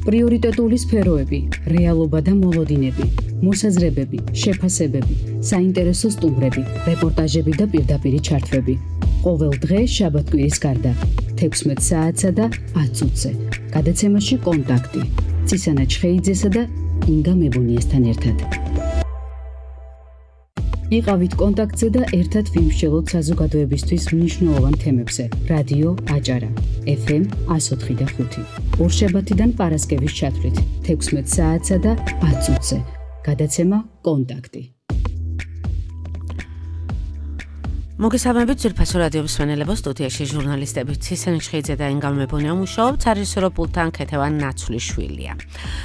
პრიორიტეტული სფეროები, რეალობა და მოლოდინები, მოსაზრებები, შეფასებები, საინტერესო სტუმრები, რეპორტაჟები და პირდაპირი ჩართვები. ყოველ დღე შაბათ-კვირის გარდა 16 საათსა და 10 წუთზე. გადაცემაში კონტაქტი. წისანა ჩხეიძესა და ინგა მებუნიასთან ერთად. იყავით კონტაქტზე და ერთად ვიმსჯელოთ საზოგადოებისთვის მნიშვნელოვან თემებზე. რადიო აჭარა, FM 104.5. ორშაბათიდან პარასკევის ჩათვლით 16 საათსა და 10 წუთზე. გადაცემა კონტაქტი. მოგესალმებით ძვირფასო რადიო მსმენელებო, სტუდიაში ჟურნალისტები ცისანი ჩხეიძე და ინგა მებუნია მუშაობთ, სარისოროპულთან ქეთევან ნაცვლიშვილია.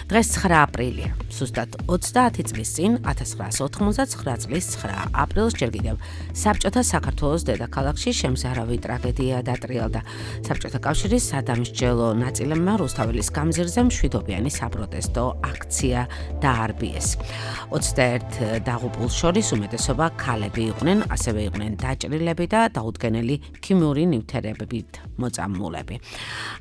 დღეს 9 აპრილია, ზუსტად 30 წლის წინ 1989 წლის 9 აპრილს ჯერ კიდევ საბჭოთა საქართველოს დედაქალაქში შემზარავი ტრაგედია დატრიალდა. საბჭოთა კავშირის სადამსჯელო ნაწილებმა რუსთაველის გამზირზე მშვიდობიანი საპროტესტო აქცია დაარბიეს. 21 დაღუპულს შორის უმეტესობა ქალები იყვნენ, ასევე იყვნენ ჭრილები და დაუდგენელი ქიმიური ნივთიერებებით მოწამლულები.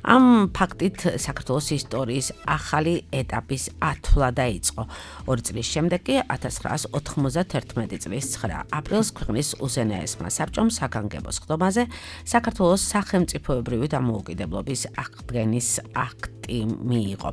ამ ფაქტით საქართველოს ისტორიის ახალი ეტაპის ათვლა დაიწყო. 2 წლის შემდეგ კი 1991 წლის 9 აპრილს ქვეყნის უზენაესმა საბჭომ საგანგებო სხდომაზე საქართველოს სახელმწიფოებრივი დამოუკიდებლობის აღდგენის აქტი მიიღო.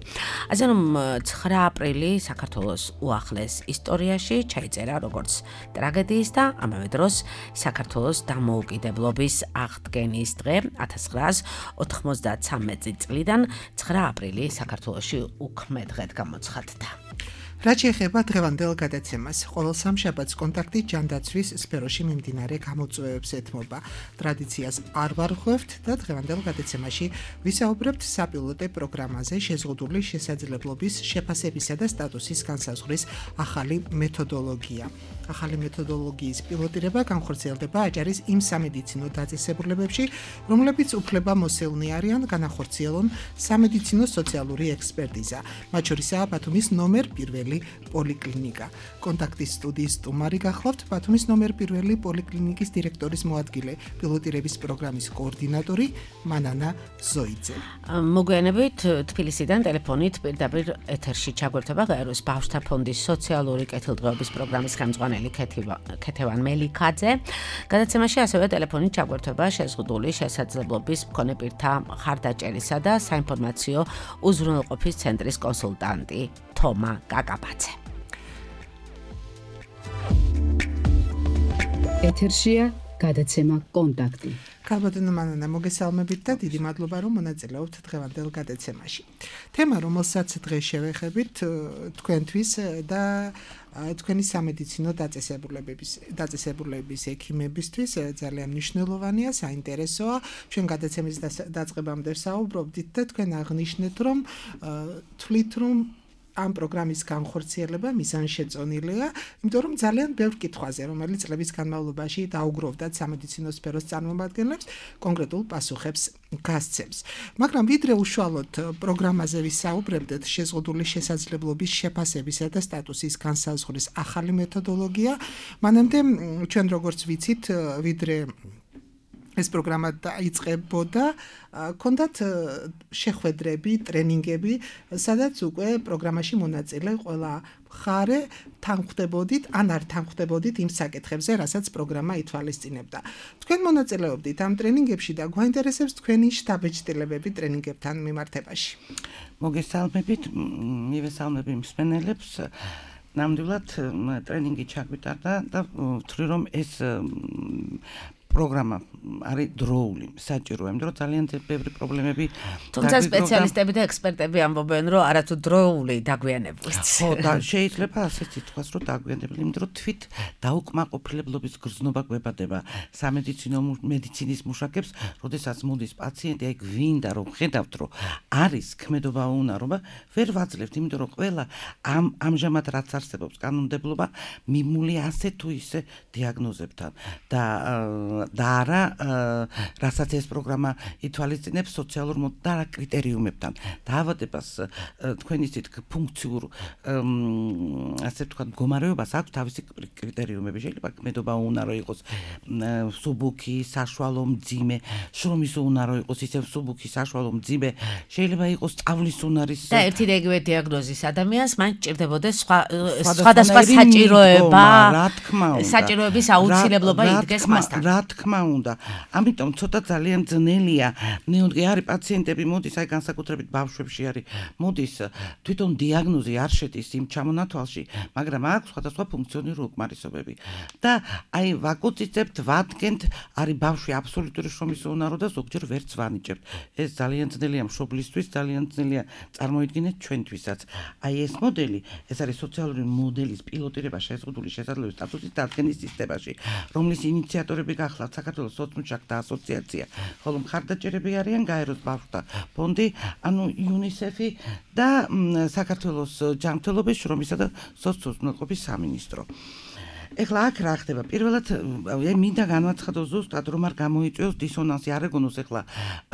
ასე რომ 9 აპრილი საქართველოს უახლეს ისტორიაში ჩაიწერა როგორც ტრაგედიის და ამავე დროს საქართველოს დამოუკიდებლობის აღდგენის დღე 1993 წლიდან 9 აპრილი საქართველოში უქმე დღედ გამოცხადდა. რაც შეეხება დღევანდელ გადაცემას, ყოველ სამშაბათს კონტაქტი ჯანდაცვის სფეროში მიმდინარე გამოწვევებს ეთმობა. ტრადიციას არ ვარღვევთ და დღევანდელ გადაცემაში ვისაუბრებთ საპილოტე პროგრამაზე შეზღუდული შესაძლებლობის შეფასებისა და სტატუსის განსაზღვრის ახალი მეთოდოლოგია. ახალი მეთოდოლოგიის პილოტირება განხორციელდება აჭარის იმ სამედიცინო დაწესებულებებში, რომლებიც უფლებამოსილნი არიან განახორციელონ სამედიცინო სოციალური ექსპერტიზა. მათ შორისაა ბათუმის ნომერ 1 პოლიკლინიკა. კონტაქტის სტუდიის სტუმარი გახლავთ ბათუმის ნომერ 1 პოლიკლინიკის დირექტორის მოადგილე, პილოტირების პროგრამის კოორდინატორი მანანა ზოიძე. მოგვიანებით თბილისიდან ტელეფონით პირდაპირ ეთერში ჩაგვერთება გაეროს ბავშვთა ფონდის სოციალური კეთილდღეობის პროგრამის ხელმძღვანელი ქეთევან მელიქაძე. გადაცემაში ასევე ტელეფონით ჩაგვერთება შეზღუდული შესაძლებლობის მქონე პირთა მხარდაჭერისა და საინფორმაციო უზრუნველყოფის ცენტრის კონსულტანტი თომა კაკაბაძე. ეთერშია გადაცემა კონტაქტი. ქალბატონო მანანა, მოგესალმებით და დიდი მადლობა, რომ მონაწილეობთ დღევანდელ გადაცემაში. თემა, რომელსაც დღეს შევეხებით თქვენთვის და თქვენი სამედიცინო დაწესებულების ექიმებისთვის ძალიან მნიშვნელოვანია, საინტერესოა. ჩვენ გადაცემის დაწყებამდე საუბრობდით და თქვენ აღნიშნეთ, რომ თვლით, რომ ამ პროგრამის განხორციელება მიზანშეწონილია, იმიტომ რომ ძალიან ბევრ კითხვაზე, რომელიც წლების განმავლობაში დაუგროვდათ სამედიცინო სფეროს წარმომადგენლებს, კონკრეტულ პასუხებს გასცემს. მაგრამ ვიდრე უშუალოდ პროგრამაზე ვისაუბრებდეთ, შეზღუდული შესაძლებლობის შეფასებისა და სტატუსის განსაზღვრის ახალი მეთოდოლოგია, მანამდე ჩვენ როგორც ვიცით, ვიდრე ეს პროგრამა დაიწყებოდა, ქონდათ შეხვედრები, ტრენინგები, სადაც უკვე პროგრამაში მონაწილე ყველა მხარე თანხმდებოდით, ან არ თანხმდებოდით იმ საკითხებზე, რასაც პროგრამა ითვალისწინებდა. თქვენ მონაწილეობდით ამ ტრენინგებში და გვაინტერესებს თქვენი შთაბეჭდილებები ტრენინგებთან მიმართებაში. მოგესალმებით, მივესალმები მსმენელებს. ნამდვილად ტრენინგი ჩაგვიტარდა და ვთვლი რომ ეს პროგრამა არის დროული, საჭირო, იმიტომ რომ ძალიან ბევრი პრობლემები. თუმცა სპეციალისტები და ექსპერტები ამბობენ, რომ არათუ დროული დაგვიანებულიც. ხო, და შეიძლება ასეც ითქვას, რომ დაგვიანებული, იმიტომ რომ თვით დაუკმაყოფილებლობის გრძნობა გვებადება სამედიცინო მედიცინის მუშაკებს, როდესაც მოდის პაციენტი, აი გვინდა რომ ხედავთ, რომ არის ქმედობა უნარობა, ვერ ვაძლევთ, იმიტომ რომ ყველა ამჟამად რაც არსებობს კანონმდებლობა მიმული ასე თუ ისე დიაგნოზებთან და და არა რასაც ეს პროგრამა ითვალისწინებს სოციალურ და რა კრიტერიუმებთან. დაავადებას თქვენი ისეთ ფუნქციურ ასე ვთქვათ მდგომარეობას აქვს თავისი კრიტერიუმები. შეიძლება ქმედობა უნარო იყოს სუბუქი, საშუალო, მძიმე, შრომის უნარო იყოს ისევ სუბუქი, საშუალო, მძიმე, შეიძლება იყოს სწავლის უნარის და ერთი და იგივე დიაგნოზის ადამიანს მან ჭირდებოდეს სხვადასხვა საჭიროება, რა თქმა უნდა, საჭიროების აუცილებლობა იდგეს მასთან. რა თქმა უნდა. ამიტომ ცოტა ძალიან ძნელია. ნეონტი არის პაციენტები მოდის, აი განსაკუთრებით ბავშვებში არის მოდის, თვითონ დიაგნოზი არ შედის იმ ჩამონათვალში, მაგრამ აქვს სხვადასხვა ფუნქციონალური უკმარისობები. და აი ვაკუციცებთ, ვადგენთ, არის ბავშვი აბსოლუტური შრომის უნარო და ზოგჯერ ვერც ვანიჭებთ. ეს ძალიან ძნელია მშობლისთვის, ძალიან ძნელია წარმოიდგინეთ ჩვენთვისაც. აი ეს მოდელი, ეს არის სოციალური მოდელის პილოტირება შეზღუდული შესაძლებლობის სტატუსის დადგენის სისტემაში, რომლის ინიციატორები გახლავთ საქართველოს სოცმუშაკთა ასოციაცია, ხოლო მხარდაჭერები არიან გაეროს ბავშვთა ფონდი, ანუ UNICEF-ი და საქართველოს ჯანმრთელობის, შრომისა და სოციალურობის სამინისტრო. ეხლა აქ რა ხდება? პირველად მინდა განვაცხადო ზუსტად რომ არ გამოიწვევს დისონანსი, არ ეგონოს ეხლა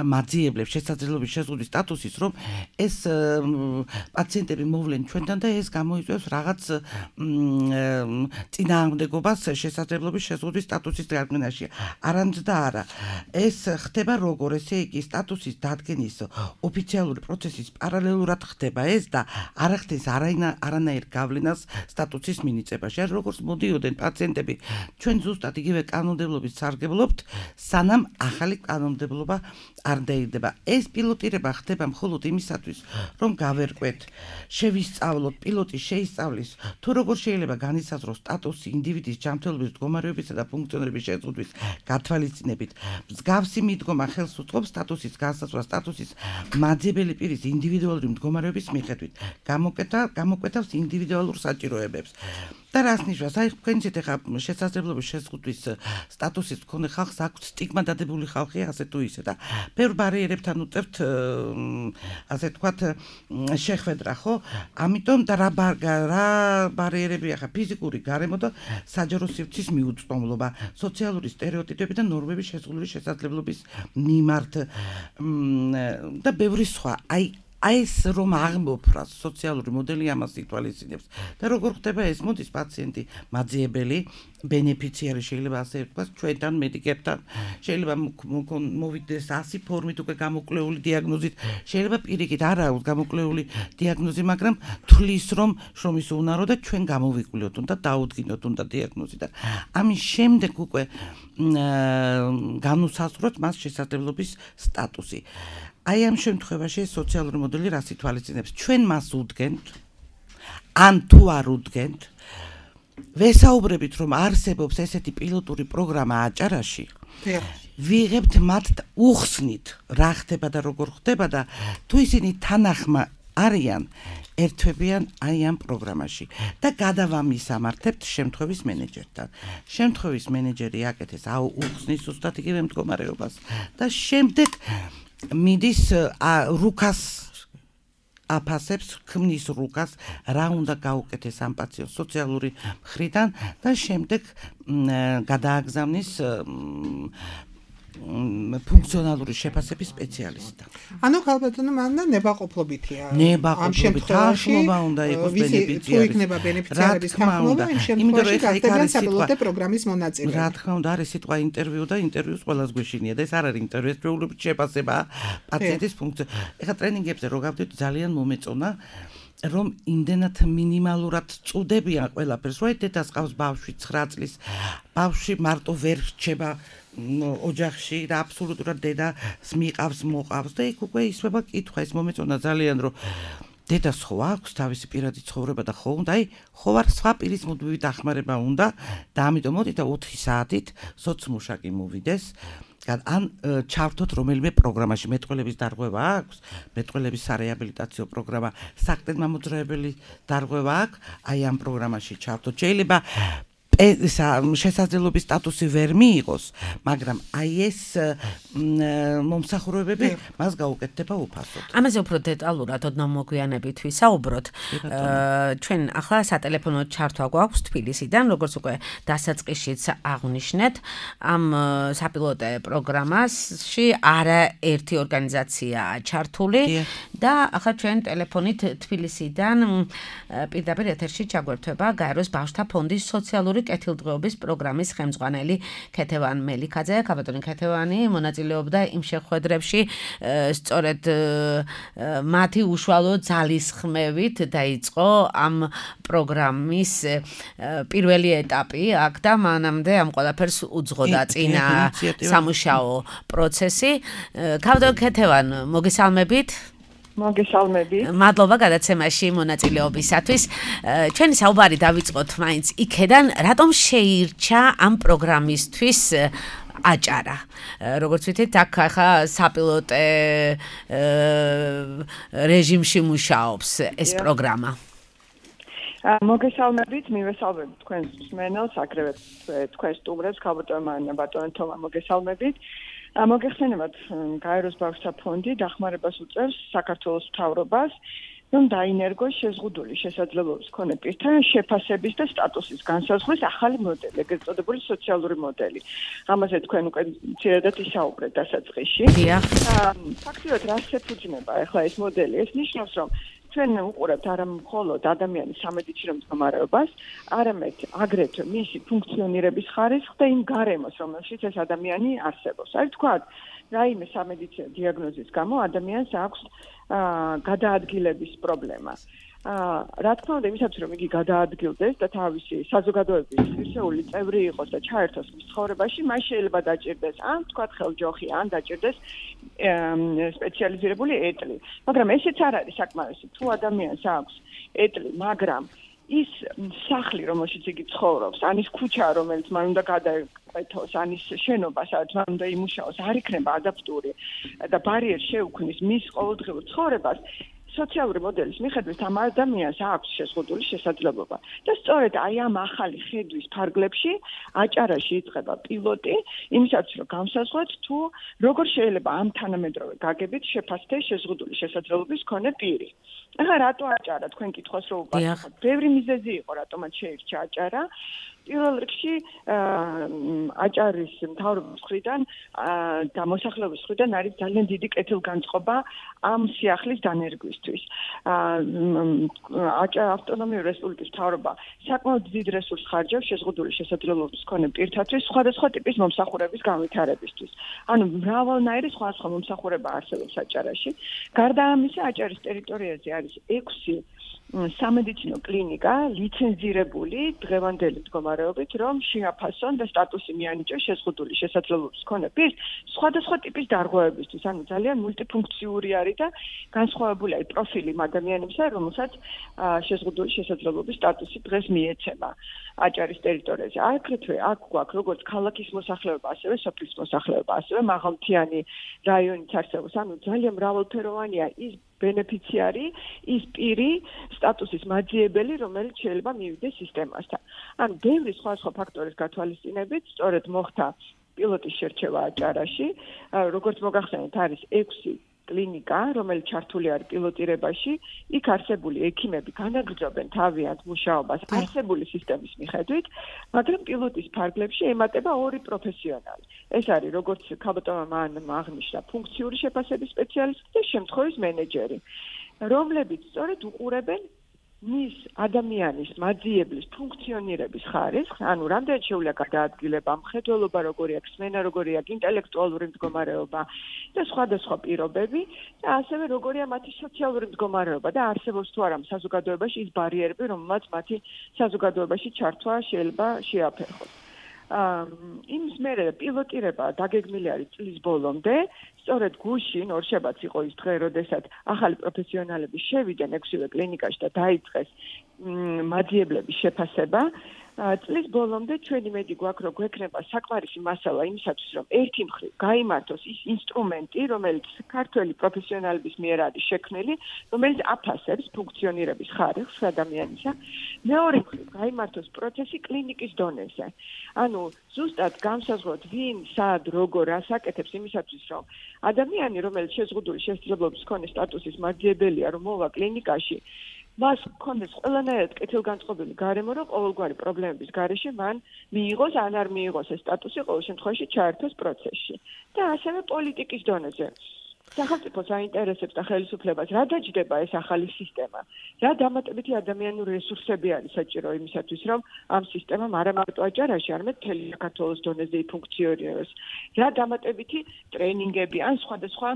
მაძიებლებს შესაძლებლობის შეზღუდვის სტატუსის, რომ ეს პაციენტები მოვლენ ჩვენთან და ეს გამოიწვევს რაღაც წინააღმდეგობას შესაძლებლობის შეზღუდვის სტატუსის დადგენაში. არანც და არა. ეს ხდება როგორ? ესე იგი სტატუსის დადგენის ოფიციალური პროცესის პარალელურად ხდება ეს და არ ხდეს არანაირ გავლენას სტატუსის მინიჭებაში. როგორც მოდიოდნენ პაციენტები ჩვენ ზუსტად იგივე კანონმდებლობის სარგებლობთ, სანამ ახალი კანონმდებლობა არ დაიდება. ეს პილოტირება ხდება მხოლოდ იმისათვის, რომ გავერკვეთ, შევისწავლოთ, პილოტი შეისწავლის, თუ როგორ შეიძლება განისაზღვროს სტატუსი ინდივიდის ჯანმრთელობის მდგომარეობისა და ფუნქციონირების შეზღუდვის გათვალისწინებით. მსგავსი მიდგომა ხელს უწყობს სტატუსის განსაზღვრას სტატუსის მაძიებელი პირის ინდივიდუალური მდგომარეობის მიხედვით. გამოკვეთავს ინდივიდუალურ საჭიროებებს. და რას ნიშნავს? აი თქვენიცით ახლა შესაძლებლობის შეზღუდვის სტატუსის მქონე ხალხს აქვს სტიგმა დადებული ხალხი ასე თუ ისე და ბევრ ბარიერებთან უწევთ ასე თქვათ შეხვედრა, ხო? ამიტომ და რა ბარიერები ახლა ფიზიკური გარემო და საჯარო სივრცის მიუწვდომლობა, სოციალური სტერეოტიპები და ნორმების შეზღუდული შესაძლებლობის მიმართ და ბევრი სხვა. აი ეს რომ აღმოფრას სოციალური მოდელი ამას ითვალისწინებს და როგორ ხდება ეს? მოდის პაციენტი მაძიებელი, ბენეფიციარი შეიძლება ასე ვთქვათ, ჩვენთან მედიკებთან, შეიძლება მოვიდეს 100 ფორმით უკვე გამოკვლეული დიაგნოზით, შეიძლება პირიქით არ აქვს გამოკვლეული დიაგნოზი, მაგრამ თვლის რომ შრომის უნარო და ჩვენ გამოვიკვლიოთ, უნდა დაუდგინოთ უნდა დიაგნოზი და ამის შემდეგ უკვე განუსაზღვროთ მას შესაძლებლობის სტატუსი. აი ამ შემთხვევაში სოციალური მოდელი რას ითვალისწინებს? ჩვენ მას უდგენთ, ან თუ არ უდგენთ, ვესაუბრებით რომ არსებობს ესეთი პილოტური პროგრამა აჭარაში, ვიღებთ მათ უხსნით რა ხდება და როგორ ხდება და თუ ისინი თანახმა არიან, ერთვებიან აი ამ პროგრამაში და გადავამისამართებთ შემთხვევის მენეჯერთან. შემთხვევის მენეჯერი აკეთებს უხსნის ზუსტად იგივე მდგომარეობას და შემდეგ მიდის რუკას აფასებს, ქმნის რუკას, რა უნდა გაუკეთეს ამ პაციენტს სოციალური მხრიდან და შემდეგ გადააგზავნის ფუნქციონალური შეფასების სპეციალისტთან. ანუ ქალბატონო მანდა ნებაყოფლობითია. ამ შემთხვევაში უნდა იყოს ბენეფიციარი. თუ იქნება ბენეფიციარების თანხმობა, იმ შემთხვევაში გახდებიან საპილოტო პროგრამის მონაწილე. რა თქმა უნდა, არის სიტყვა ინტერვიუ და ინტერვიუს ყველას გვეშინია და ეს არ არის ინტერვიუ, ეს პრობლემის შეფასება პაციენტის ფუნქცია. ეხლა ტრენინგებზე რო გავდივით, ძალიან მომეწონა რომ იმდენად მინიმალურად წუდებიან ყველაფერს, რომ დედას ყავს ბავშვი 9 წლის, ბავშვი მარტო ვერ რჩება ოჯახში და აბსოლუტურად დედას მიყავს, მოყავს და იქ უკვე ისვება კითხვა, ეს მომეწონა ძალიან, რომ დედას ხო აქვს თავისი პირადი ცხოვრება და ხო უნდა, აი ხო არ სხვა პირის მუდმივი დახმარება უნდა და ამიტომ მოდით და 4 საათით სოცმუშაკი მოვიდეს. ან ჩავთოთ რომელიმე პროგრამაში, მეტყველების დარღვევა აქვს, მეტყველების სარეაბილიტაციო პროგრამა, საყრდენ მამოძრავებელი დარღვევა აქვს, აი ამ პროგრამაში ჩავთოთ. შეიძლება შესაძლებლობის სტატუსი ვერ მიიღოს, მაგრამ აი ეს მომსახურებები მას გაუკეთდება უფასოდ. ამაზე უფრო დეტალურად ოდნავ მოგვიანებით ვისაუბროთ. ჩვენ ახლა სატელეფონო ჩართვა გვაქვს თბილისიდან, როგორც უკვე დასაწყისშიც აღვნიშნეთ, ამ საპილოტე პროგრამაში არაერთი ორგანიზაციაა ჩართული და ახლა ჩვენ ტელეფონით თბილისიდან პირდაპირ ეთერში ჩაგვერთვება გაეროს ბავშვთა ფონდის სოციალური კეთილდღეობის პროგრამის ხელმძღვანელი ქეთევან მელიქაძე. ქაბატონი ქეთევანი მონაწილეობდა იმ შეხვედრებში, სწორედ მათი უშუალო ძალისხმევით დაიწყო ამ პროგრამის პირველი ეტაპი აქ და მანამდე ამ ყველაფერს უძღოდა წინა სამუშაო პროცესი. ქაბატონი ქეთევან, მოგესალმებით. მოგესალმებით. მადლობა გადაცემაში მონაწილეობისათვის. ჩვენი საუბარი დავიწყოთ მაინც იქედან, რატომ შეირჩა ამ პროგრამისთვის აჭარა. როგორც ვთქვით, აქ ახლა საპილოტე რეჟიმში მუშაობს ეს პროგრამა. მოგესალმებით, მივესალმებით თქვენს მსმენელს, აგრეთვე თქვენს სტუმრებს, ქაბატონმა ბატონო თომა, მოგესალმებით. მოგეხსენებათ, გაეროს ბავშვთა ფონდი დახმარებას უწევს საქართველოს მთავრობას, რომ დაინერგოს შეზღუდული შესაძლებლობის მქონე პირთა შეფასების და სტატუსის განსაზღვრის ახალი მოდელი, ეგრეთ წოდებული სოციალური მოდელი. ამაზე თქვენ უკვე ძირადად ისაუბრეთ დასაწყისში. ფაქტიურად რას ეფუძნება ახლა ეს მოდელი? ეს ნიშნავს, რომ ჩვენ უყურებთ არა მხოლოდ ადამიანის სამედიცინო მდგომარეობას, არამედ აგრეთვე მისი ფუნქციონირების ხარისხს და იმ გარემოს, რომელშიც ეს ადამიანი არსებობს. აი თქვათ, რაიმე სამედიცინო დიაგნოზის გამო ადამიანს აქვს გადაადგილების პრობლემა. რა თქმა უნდა, იმისათვის რომ იგი გადაადგილდეს და თავისი საზოგადოების ღირსეული წევრი იყოს და ჩაერთოს მის ცხოვრებაში, მას შეიძლება დაჭირდეს ან თქვათ ხელჯოხი, ან დაჭირდეს სპეციალიზირებული ეტლი. მაგრამ ესეც არ არის საკმარისი. თუ ადამიანს აქვს ეტლი, მაგრამ ის სახლი, რომელშიც იგი ცხოვრობს, ან ის ქუჩა, რომელიც მან უნდა გადაეკვეთოს, ან ის შენობა, სადაც მან უნდა იმუშაოს, არ იქნება ადაპტური და ბარიერს შეუქმნის მის ყოველდღიურ ცხოვრებას, სოციალური მოდელის მიხედვით ამ ადამიანს აქვს შეზღუდული შესაძლებლობა. და სწორედ აი ამ ახალი ხედვის ფარგლებში აჭარაში იწყება პილოტი, იმისათვის რომ განსაზღვროთ თუ როგორ შეიძლება ამ თანამედროვე გაგებით შეფასდეს შეზღუდული შესაძლებლობის მქონე პირი. ახლა რატო აჭარა? თქვენ კითხავს რომ უპასუხოთ. ბევრი მიზეზი იყო, რატომაც შეირჩა აჭარა. პირველ რიგში აჭარის მთავრობის მხრიდან და მოსახლეობის მხრიდან არის ძალიან დიდი კეთილგანწყობა ამ სიახლის დანერგვისთვის. ავტონომიური რესპუბლიკის მთავრობა საკმაოდ დიდ რესურსს ხარჯავს შეზღუდული შესაძლებლობის მქონე პირთათვის სხვადასხვა ტიპის მომსახურების განვითარებისთვის. ანუ მრავალნაირი სხვადასხვა მომსახურება არსებობს აჭარაში. გარდა ამისა, აჭარის ტერიტორიაზე არის 6 სამედიცინო კლინიკა ლიცენზირებული დღევანდელი მდგომარეობით, რომ შეაფასონ და სტატუსი მიანიჭოს შეზღუდული შესაძლებლობის მქონე პირს სხვადასხვა ტიპის დარღვევებისთვის. ანუ ძალიან მულტიფუნქციური არის და განსხვავებული არის პროფილი ადამიანებისა, რომელსაც შეზღუდული შესაძლებლობის სტატუსი დღეს მიეცემა აჭარის ტერიტორიაზე. აგრეთვე აქ გვაქვს როგორც ქალაქის მოსახლეობა, ასევე სოფლის მოსახლეობა, ასევე მაღალმთიანი რაიონიც არსებობს. ანუ ძალიან მრავალფეროვანია ის ბენეფიციარი, ის პირი, სტატუსის მაძიებელი, რომელიც შეიძლება მივიდეს სისტემასთან. ანუ ბევრი სხვა ფაქტორის გათვალისწინებით, სწორედ მოხდა პილოტის შერჩევა აჭარაში, როგორც მოგახსენეთ, არის 6 კლინიკა, რომელიც ჩართული არის პილოტირებაში, იქ არსებული ექიმები განაგრძობენ თავიანთ მუშაობას არსებული სისტემის მიხედვით, მაგრამ პილოტის ფარგლებში ემატება 2 პროფესიონალი. ეს არის როგორც ქაბატონმა აღნიშნა, ფუნქციური შეფასების სპეციალისტი და შემთხვევის მენეჯერი, რომლებიც სწორედ უყურებენ მის ადამიანის მაძიებლის ფუნქციონირების ხარისხს, ანუ რამდენად შეუძლია გადაადგილება, მხედველობა როგორი აქვს, სმენა როგორი აქვს, ინტელექტუალური მდგომარეობა და სხვადასხვა პირობები და ასევე როგორია მათი სოციალური მდგომარეობა და არსებობს თუ არა საზოგადოებაში ის ბარიერები, რომელსაც მათი საზოგადოებაში ჩართვა შეიძლება შეაფერხოს. იმის მერე პილოტირება დაგეგმილი არის წლის ბოლომდე, სწორედ გუშინ ორშაბათს იყო ის დღე, როდესაც ახალი პროფესიონალები შევიდნენ 6 კლინიკაში და დაიწყეს მაძიებლების შეფასება. წლის ბოლომდე ჩვენი მედი გვაქვს, რომ გვექნება საკმარისი მასალა იმისათვის, რომ ერთი მხრივ გაიმართოს ის ინსტრუმენტი, რომელიც ქართველი პროფესიონალების მიერ არის შექმნილი, რომელიც აფასებს ფუნქციონირების ხარისხს ადამიანისა. მეორე მხრივ გაიმართოს პროცესი კლინიკის დონეზე. ანუ ზუსტად განსაზღვროთ, ვინ, სად, როგორ ასაკეთებს იმისათვის, რომ ადამიანი, რომელიც შეზღუდული შესაძლებლობის მქონე სტატუსის მაძიებელია, რომ მოვა კლინიკაში, მას ქონდეს ყველანაირად კეთილგანწყობილი გარემო, რომ ყოველგვარი პრობლემების გარეშე მან მიიღოს ან არ მიიღოს ეს სტატუსი, ყოველ შემთხვევაში ჩაერთოს პროცესში. და ასევე პოლიტიკის დონეზე. სახელმწიფოს აინტერესებს და ხელისუფლებას რა დაჯდება ეს ახალი სისტემა. რა დამატებითი ადამიანური რესურსები არის საჭირო იმისათვის, რომ ამ სისტემამ არა მარტო აჭარაში, არამედ მთელი საქართველოს დონეზე იფუნქციონიროს. რა დამატებითი ტრენინგები ან სხვადასხვა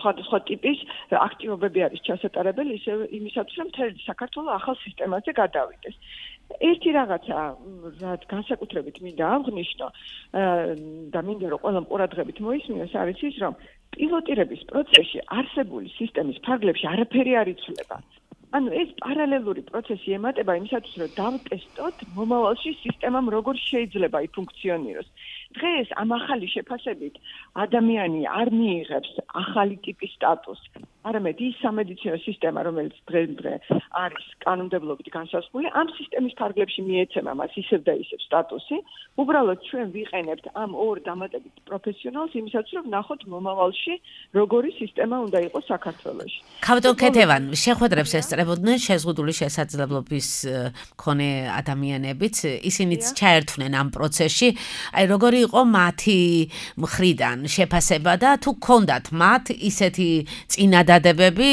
სხვა ტიპის აქტივობები არის ჩასატარებელი ისე იმისათვის, რომ მთელი საქართველო ახალ სისტემაზე გადავიდეს. ერთი რაღაცა, რაც განსაკუთრებით მინდა აღნიშნო და მინდა რომ ყველამ ყურადღებით მოისმინოს, არის ის, რომ პილოტირების პროცესში არსებული სისტემის ფარგლებში არაფერი არ იცვლება. ანუ ეს პარალელური პროცესი ემატება იმისათვის, რომ დავტესტოთ მომავალში სისტემამ როგორ შეიძლება იფუნქციონიროს. დღეს ამ ახალი შეფასებით ადამიანი არ მიიღებს ახალი ტიპის სტატუსს, არამედ ის სამედიცინო სისტემა, რომელიც დღე არის კანონმდებლობით განსაზღვრული, ამ სისტემის ფარგლებში მიეცემა მას ისევ და ისევ სტატუსი. უბრალოდ ჩვენ ვიყენებთ ამ ორ დამატებით პროფესიონალს იმისათვის, რომ ნახოთ მომავალში როგორი სისტემა უნდა იყოს საქართველოში. ქავტონ ქეთევან შეხვედრებს ესწრებოდნენ შეზღუდული შესაძლებლობის მქონე ადამიანებიც, ისინიც ჩაერთვნენ ამ პროცესში. აი როგორი იყო მათი მხრიდან შეფასება და თუ გქონდათ მათ ისეთი წინადადებები,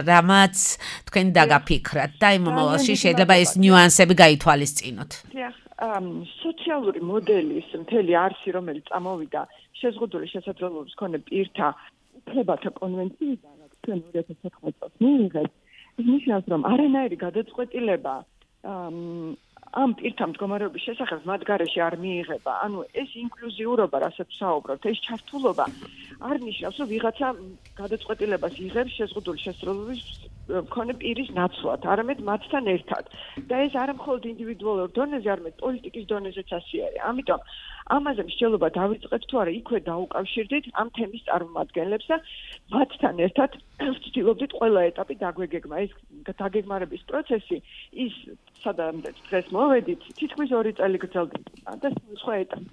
რამაც თქვენ დაგაფიქრათ და იმ მომავალში შეიძლება ეს ნიუანსები გაითვალისწინოთ. სოციალური მოდელის მთელი არსი, რომელიც წამოვიდა შეზღუდული შესაძლებლობის მქონე პირთა უფლებათა კონვენციიდან, რაც ჩვენ 2014 წელს მიიღეთ, ის ნიშნავს, რომ არანაირი გადაწყვეტილება ამ პირთა მდგომარეობის შესახებ მათ გარეშე არ მიიღება. ანუ ეს ინკლუზიურობა, რასაც საუბრობთ, ეს ჩართულობა არ ნიშნავს, რომ ვიღაცა გადაწყვეტილებას იღებს შეზღუდული შესაძლებლობის მქონე პირის ნაცვლად, არამედ მათთან ერთად. და ეს არა მხოლოდ ინდივიდუალურ დონეზე, არამედ პოლიტიკის დონეზეც ასეა. ამიტომ ამაზე მსჯელობა დავიწყეთ თუ არა, იქვე დაუკავშირდით ამ თემის წარმომადგენლებს და მათთან ერთად ვცდილობდით ყველა ეტაპი დაგვეგეგმა. ეს დაგეგმარების პროცესი ის სადამდე დღეს მოვედით, თითქმის 2 წელი გრძელდება და სხვა ეტაპი.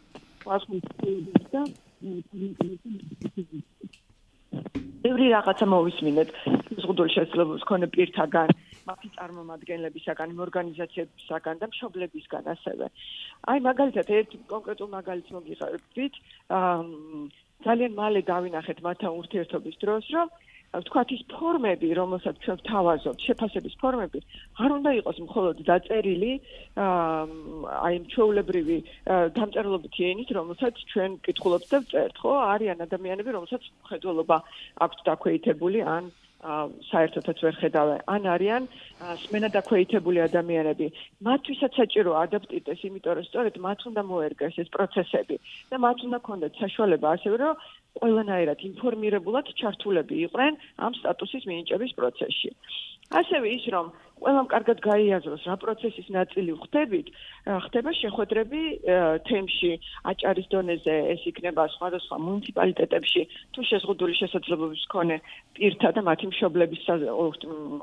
და ბევრი რაღაცა მოვისმინეთ შეზღუდული შესაძლებლობის მქონე პირთაგან, მათი წარმომადგენლებისაგან, იმ ორგანიზაციებისაგან და მშობლებისგან ასევე. აი მაგალითად ერთ კონკრეტულ მაგალითს მოგიხარებთ, ძალიან მალე დავინახეთ მათთან ურთიერთობის დროს, რომ ვთქვათ ის ფორმები, რომელსაც ჩვენ ვთავაზობთ, შეფასების ფორმები, არ უნდა იყოს მხოლოდ დაწერილი, აი ჩვეულებრივი დამწერლობითი ენით, რომელსაც ჩვენ ვკითხულობთ და ვწერთ, ხო? არიან ადამიანები, რომელსაც მხედველობა აქვთ დაქვეითებული, ან საერთოდაც ვერ ხედავენ, ან არიან სმენა დაქვეითებული ადამიანები. მათთვისაც საჭირო ადაპტირდეს, იმიტომ რომ სწორედ მათ უნდა მოერგეს ეს პროცესები და მათ უნდა ქონდეთ საშუალება ასევე, რომ ყველანაირად ინფორმირებულად ჩართულები იყვნენ ამ სტატუსის მინიჭების პროცესში. ასევე ის, რომ ყველამ კარგად გაიაზროს, რა პროცესის ნაწილი ხდება შეხვედრები თემში, აჭარის დონეზე, ეს იქნება სხვადასხვა მუნიციპალიტეტებში, თუ შეზღუდული შესაძლებლობის მქონე პირთა და მათი მშობლების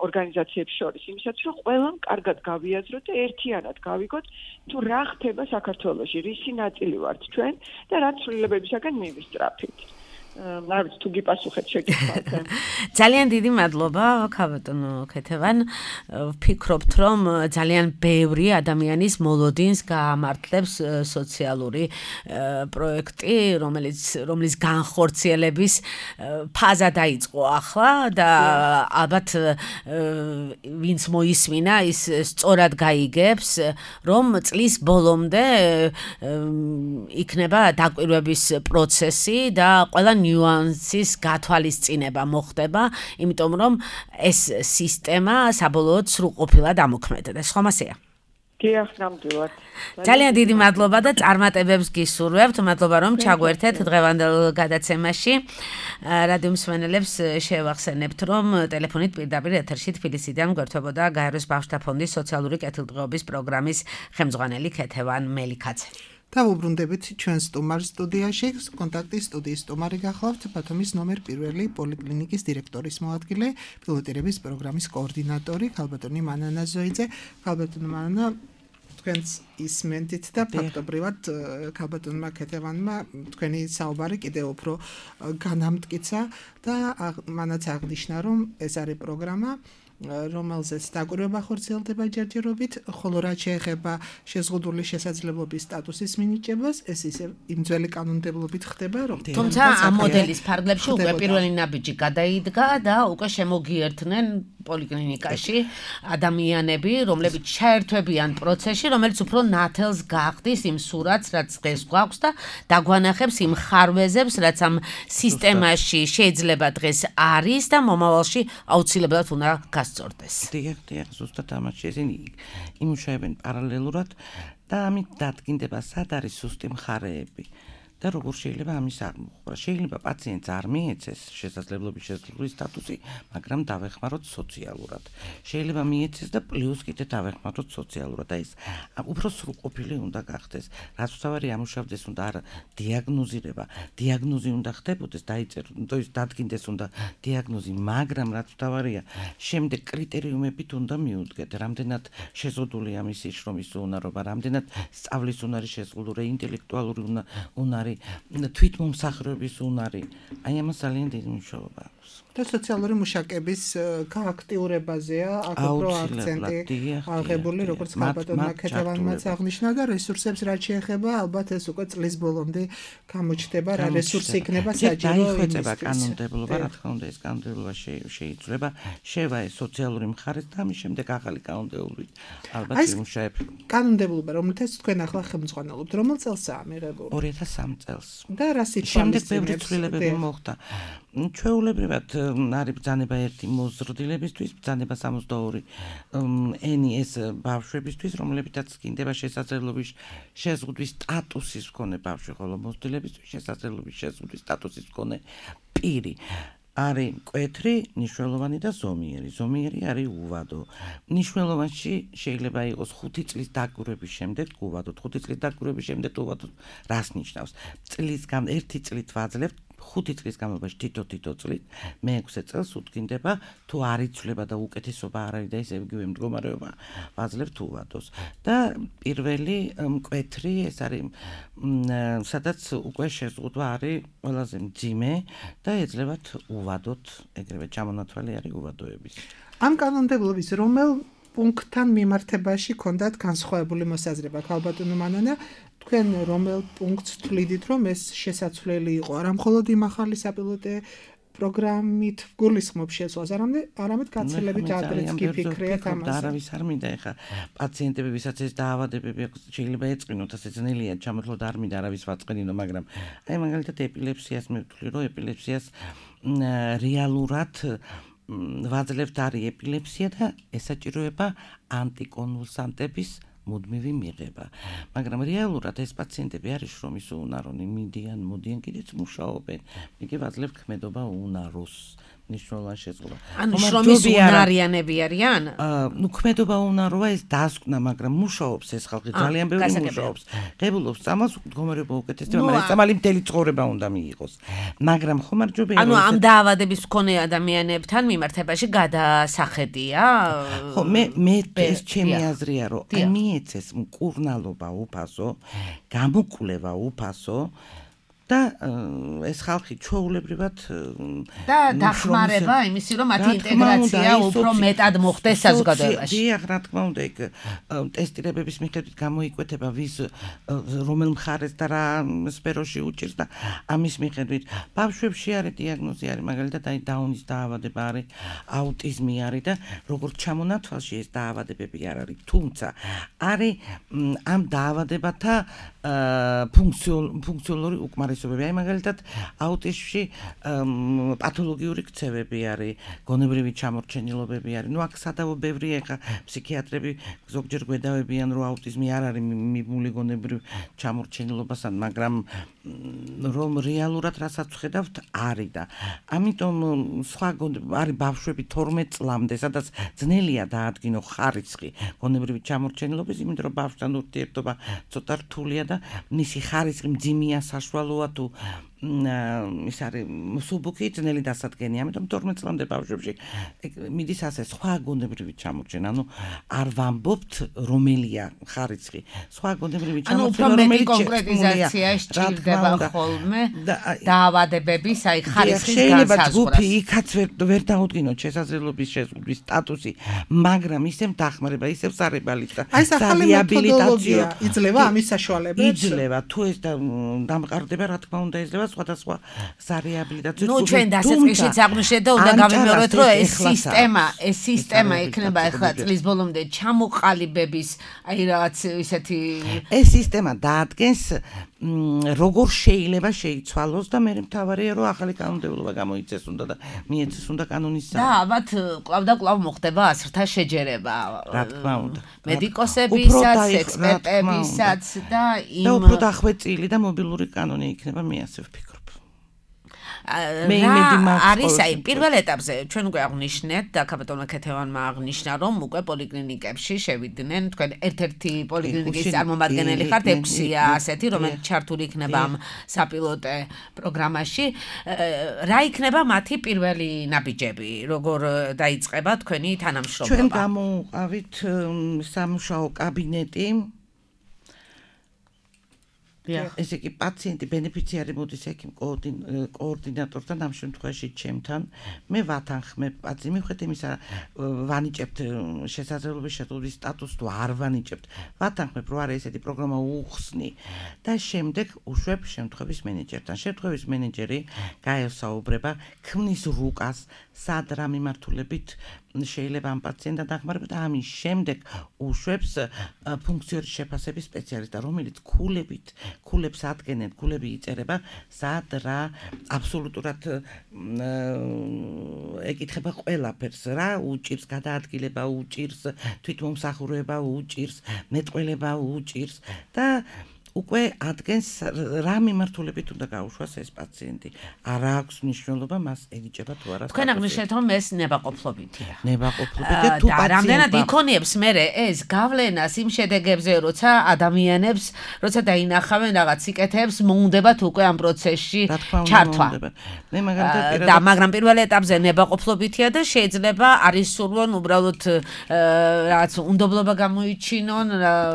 ორგანიზაციებს შორის, იმისათვის, რომ ყველამ კარგად გავიაზროთ და ერთიანად გავიგოთ, თუ რა ხდება საქართველოში, რისი ნაწილი ვართ ჩვენ და რა ცვლილებებისაგან მივისწრაფით. არ ვიცი თუ გიპასუხეთ შეკითხვაზე. ძალიან დიდი მადლობა, ქავატონო ქეთევან. ვფიქრობთ, რომ ძალიან ბევრი ადამიანის მოლოდინს გაამართლებს სოციალური პროექტი, რომლის განხორციელების ფაზა დაიწყო ახლა და ალბათ ვინც მოისმინა, ის სწორად გაიგებს, რომ წლის ბოლომდე იქნება დაკვირვების პროცესი და ყველა ნიუანსის გათვალისწინება მოხდება, იმიტომ რომ ეს სისტემა საბოლოოდ სრულყოფილად ამოქმედდეს. ხომ ასეა? დიახ, ნამდვილად. ძალიან დიდი მადლობა და წარმატებებს გისურვებთ. მადლობა რომ ჩაგვერთეთ დღევანდელ გადაცემაში. რადიო მსმენელებს შევახსენებთ რომ ტელეფონით პირდაპირ ეთერში თბილისიდან გვერდებოდა გაეროს ბავშვთა ფონდის სოციალური კეთილდღეობის პროგრამის ხელმძღვანელი ქეთევან მელიქაძე. დავუბრუნდებით ჩვენ სტუმარ სტუდიაში, კონტაქტის სტუდიის სტუმარი გახლავთ ბათუმის ნომერ 1 პოლიკლინიკის დირექტორის მოადგილე, პილოტირების პროგრამის კოორდინატორი ქალბატონი მანანა ზოიძე. ქალბატონი მანანა, თქვენს ისმენთ და ფაქტობრივად ქალბატონმა ქეთევანმა თქვენი საუბარი კიდევ უფრო განამტკიცა და მანაც აღნიშნა რომ ეს არის პროგრამა რომელზეც დაკვირვება ხორციელდება ჯერჯერობით, ხოლო რაც შეეხება შეზღუდული შესაძლებლობის სტატუსის მინიჭებას, ეს ისე იმ ძველი კანონმდებლობით ხდება, რომ თუმცა ამ მოდელის ფარგლებში უკვე პირველი ნაბიჯი გადაიდგა და უკვე შემოგიერთნენ პოლიკლინიკაში ადამიანები, რომლებიც ჩაერთვებიან პროცესში, რომელიც უფრო ნათელს გახდის იმ სურათს, რაც დღეს გვაქვს და დაგვანახებს იმ ხარვეზებს, რაც ამ სისტემაში შეიძლება დღეს არის და მომავალში აუცილებლად უნდა გასწორდეს. დიახ, ზუსტად ამაში ესენი იმუშავებენ პარალელურად და ამით დადგინდება სად არის სუსტი მხარეები. და როგორ შეიძლება ამის აღმოხვრა. შეიძლება პაციენტს არ მიეცეს შესაძლებლობის შესრულების სტატუსი, მაგრამ დავეხმაროთ სოციალურად. შეიძლება მიეცეს და პლუს კიდე დავეხმაროთ სოციალურად. და ეს უფრო სრულყოფილი უნდა გახდეს. რაც თავარი ამუშავდეს უნდა არა დიაგნოზირება, დიაგნოზი უნდა ხდებოდეს, დაიწეროს, დადგინდეს უნდა დიაგნოზი, მაგრამ რაც თავარია, შემდეგ კრიტერიუმებით უნდა მიუდგეთ, რამდენად შეზღუდულია მისი შრომის უნარობა, რამდენად სწავლის უნარი შეზღუდული, ინტელექტუალური უნარი თვითმომსახურების უნარი. აი ამას ძალიან დიდი მნიშვნელობა აქვს. და სოციალური მუშაკების გააქტიურებაზეა აქ უფრო აქცენტი აღებული, როგორც ქალბატონმა ქეთევანმაც აღნიშნა და რესურსებს რაც შეეხება, ალბათ ეს უკვე წლის ბოლომდე გამოჩნდება, რა რესურსი იქნება საჭირო იმისთვის. კანონმდებლობა, რა თქმა უნდა, ეს კანონმდებლობა შეიცვლება, შევა ეს სოციალური მხარეს და ამის შემდეგ ახალი კანონმდებლობით ალბათ იმუშავებ. კანონმდებლობა, რომელთაც თქვენ ახლა ხელმძღვანელობთ, რომელ წელსაა მიღებული? 2003 წელს. და რა სიტყვამის შემდეგ ბევრი ცვლილებები მოხდა. ჩვეულებრივად არის ბრძანება 1 მოზრდილებისთვის, ბრძანება 62 ენი ეს ბავშვებისთვის, რომლებითაც გინდება შესაძლებლობის შეზღუდვის სტატუსის მქონე ბავშვი, ხოლო მოზრდილებისთვის შესაძლებლობის შეზღუდვის სტატუსის მქონე პირი. არის მკვეთრი, ნიშნულოვანი და ზომიერი. ზომიერი არის უვადო. ნიშნულოვანში შეიძლება იყოს 5 წლის დაკვირვების შემდეგ უვადო. 5 წლის დაკვირვების შემდეგ უვადო რას ნიშნავს? წლისგან 1 წლით ვაძლევთ 5 წლის განმავლობაში თითო წლით, მე-6 წელს უდგინდება, თუ არ იცვლება და უკეთესობა არ არის და ესე იგივე მდგომარეობა, ვაძლევთ უვადოს. და პირველი მკვეთრი ეს არის სადაც უკვე შეზღუდვა არის ყველაზე მძიმე და ეძლებათ უვადოთ, ეგრევე ჩამონათვალი არის უვადოების. ამ კანონმდებლობის რომელ პუნქტთან მიმართებაში ქონდათ განსხვავებული მოსაზრება ქალბატონო მანანა? თქვენ რომელ პუნქტს თვლიდით, რომ ეს შესაძლებელი იყო არა მხოლოდ იმ ახალი საპილოტე პროგრამით გულისხმობს შეცვლას, არამედ გაცილებით ადრეც გიფიქრეთ ამაზე. არავის არ მინდა ეხა პაციენტები, ვისაც ეს დაავადებები აქვს, შეიძლება ეწყინოთ, ასე ძნელია ჩამოთვლოთ, არ მინდა არავის ვაწყენინო, მაგრამ აი მაგალითად ეპილეფსიას მივთვლი, რომ ეპილეფსიას რეალურად ვაძლევთ არის ეპილეფსია და ესაჭიროება ანტიკონვულსანტების მუდმივი მიღება. მაგრამ რეალურად ეს პაციენტები არის შრომის უნარონი, მოდიან კიდეც მუშაობენ. იგი ვაძლევ ქმედობა უნაროს. ნიშნულოვან შეზღუდვა. ანუ შრომის უნარიანები არიან? ნუ ქმედობა უნაროა ეს დასკვნა, მაგრამ მუშაობს ეს ხალხი, ძალიან ბევრი მუშაობს. ღებულობს წამალს, მდგომარეობა უკეთესდება, მაგრამ ეს წამალი მთელი ცხოვრება უნდა მიიღოს. მაგრამ ხომ არ ჯობია ანუ ამ დაავადების მქონე ადამიანებთან მიმართებაში გადასახედია? ხო, მე ეს ჩემი აზრია, რომ აი მიეცეს მკურნალობა უფასო, გამოკვლევა უფასო და ეს ხალხი ჩვეულებრივად და დახმარება იმისი რომ მათი ინტეგრაცია უფრო მეტად მოხდეს საზოგადოებაში. დიახ, რა თქმა უნდა, იქ ტესტირებების მიხედვით გამოიკვეთება ვის რომელ მხარეს და რა სფეროში უჭირს და ამის მიხედვით ბავშვებში არის დიაგნოზი არის, მაგალითად აი დაუნის დაავადება არის, აუტიზმი არის და როგორც ჩამონათვალში ეს დაავადებები არ არის, თუმცა არის ამ დაავადებათა ფუნქციონალური უკმარისობა უმრავლესობები. აი მაგალითად აუტიზმში პათოლოგიური ქცევები არის, გონებრივი ჩამორჩენილობები არის. ნუ აქ სადავო ბევრია, ხა ფსიქიატრები ზოგჯერ გვედავებიან, რომ აუტიზმი არ არის მიბმული გონებრივ ჩამორჩენილობასთან, მაგრამ რომ რეალურად რასაც ვხედავთ არის და ამიტომ სხვა არის ბავშვები 12 წლამდე, სადაც ძნელია დაადგინო ხარისხი გონებრივი ჩამორჩენილობის, იმიტომ რომ ბავშვთან ურთიერთობა ცოტა რთულია და მისი ხარისხი მძიმეა, საშუალოა თუ ის არის მსუბუქი, ძნელი დასადგენია, ამიტომ 12 წლამდე ბავშვებში მიდის ასე სხვა გონებრივი ჩამორჩენა, ანუ არ ვამბობთ რომელია ხარისხი, სხვა გონებრივი ჩამორჩენა, რომელიც კონკრეტიზაცია სჭირდება ხოლმე დაავადებების, აი ხარისხის შეიძლება ჯგუფი იქაც ვერ დაუდგინოთ შესაძლებლობის შეზღუდვის სტატუსი, მაგრამ ისევ დახმარება, ისევ სარებალით და რეაბილიტაცია იძლევა ამის საშუალებებს? იძლევა, თუ ეს დამყარდება, რა თქმა უნდა იძლევა სხვადასხვა სარეაბილიტაციო ჯგუფი. ნუ ჩვენ დასაწყისშიც აღვნიშნეთ და უნდა გავიმეოროთ, რომ ეს სისტემა იქნება ახლა წლის ბოლომდე ჩამოყალიბების, აი რაღაც ისეთი ეს სისტემა დაადგენს როგორ შეიძლება შეიცვალოს და მე მთავარია რომ ახალი კანონმდებლობა გამოიწეს უნდა და მიეცეს უნდა კანონის და ალბათ კვლავ და კვლავ მოხდება ასრთა შეჯერება. რა თქმა უნდა. მედიკოსებისაც, ექსპერტებისაც და უფრო დახვეწილი და მობილური კანონი იქნება, მე ასე ვფიქრობ. არის აი პირველ ეტაპზე ჩვენ უკვე აღვნიშნეთ და კაპიტონა ქეთევანმა აღნიშნა რომ უკვე პოლიკლინიკებში შევიდნენ თქვენ ერთ-ერთი პოლიკლინიკის წარმომადგენელი ხართ 6-ია ასეთი რომელიც ჩართული იქნება ამ საპილოტე პროგრამაში რა იქნება მათი პირველი ნაბიჯები როგორ დაიწყება თქვენი თანამშრომლობა ჩვენ გამოვყავით სამუშაო კაბინეტი ესე იგი პაციენტი ბენეფიციარი მოდის ექიმ კოორდინატორთან ამ შემთხვევაში ჩემთან მე ვათანხმებ პაციენტს მიხვდეთ იმისა ვანიჭებთ შესაძლებლობის შეტყობის სტატუსს თუ არ ვანიჭებთ ვათანხმებ რომ არის ესეთი პროგრამა უხსნი და შემდეგ უშვებ შემთხვევის მენეჯერთან შემთხვევის მენეჯერი გაესაუბრება ქმნის რუკას სად რა მიმართულებით შეიძლება ამ პაციენტთან დახმარება და ამის შემდეგ უშვებს ფუნქციური შეფასების სპეციალისტს რომელიც ქულებს ადგენენ, ქულები იწერება, სად რა აბსოლუტურად ეკითხება ყველაფერს, რა უჭირს გადაადგილება, უჭირს თვითმომსახურება, უჭირს მეტყველება, უჭირს და უკვე ადგენს რა მიმართულებით უნდა გაუშვას ეს პაციენტი. არ აქვს მნიშვნელობა მას ენიჭება თუ არა. თქვენ აღნიშნეთ რომ ეს ნებაყოფლობითია. ნებაყოფლობითია თუ პაციენტი. რამდენად იქონიებს მერე ეს გავლენას იმ შედეგებზე, როცა ადამიანებს, როცა დაინახავენ რაღაც სიკეთეებს, მოუნდებათ უკვე ამ პროცესში ჩართვა. მე მაგალითად და მაგრამ პირველ ეტაპზე ნებაყოფლობითია და შეიძლება არის სურვონ უბრალოდ რაღაც უნდობლობა გამოიჩინონ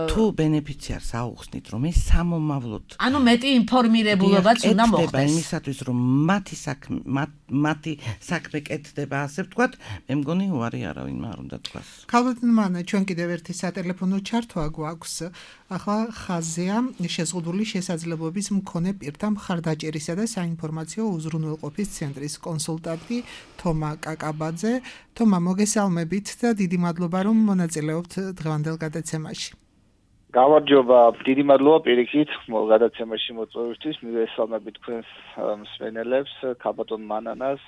თუ ბენეფიციარს აუხსნით რომ ეს სამომავლოდ. ანუ მეტი ინფორმირებულობაც უნდა მოხდეს. იმისათვის რომ მათი საქმე კეთდება, ასე ვთქვათ, მე მგონი უარი არავინ არ უნდა თქვას. ქალბატონმა ჩვენ კიდევ ერთი სატელეფონო ჩართვა გვაქვს. ახლა ხაზია შეზღუდული შესაძლებლობის მქონე პირთა მხარდაჭერისა და საინფორმაციო უზრუნველყოფის ცენტრის კონსულტანტი თომა კაკაბაძე. თომა, მოგესალმებით და დიდი მადლობა რომ მონაწილეობთ დღევანდელ გადაცემაში. გამარჯობა, დიდი მადლობა პირიქით გადაცემაში მოწვევისთვის. მივესალმებით თქვენს მსმენელებს, ქალბატონ მანანას.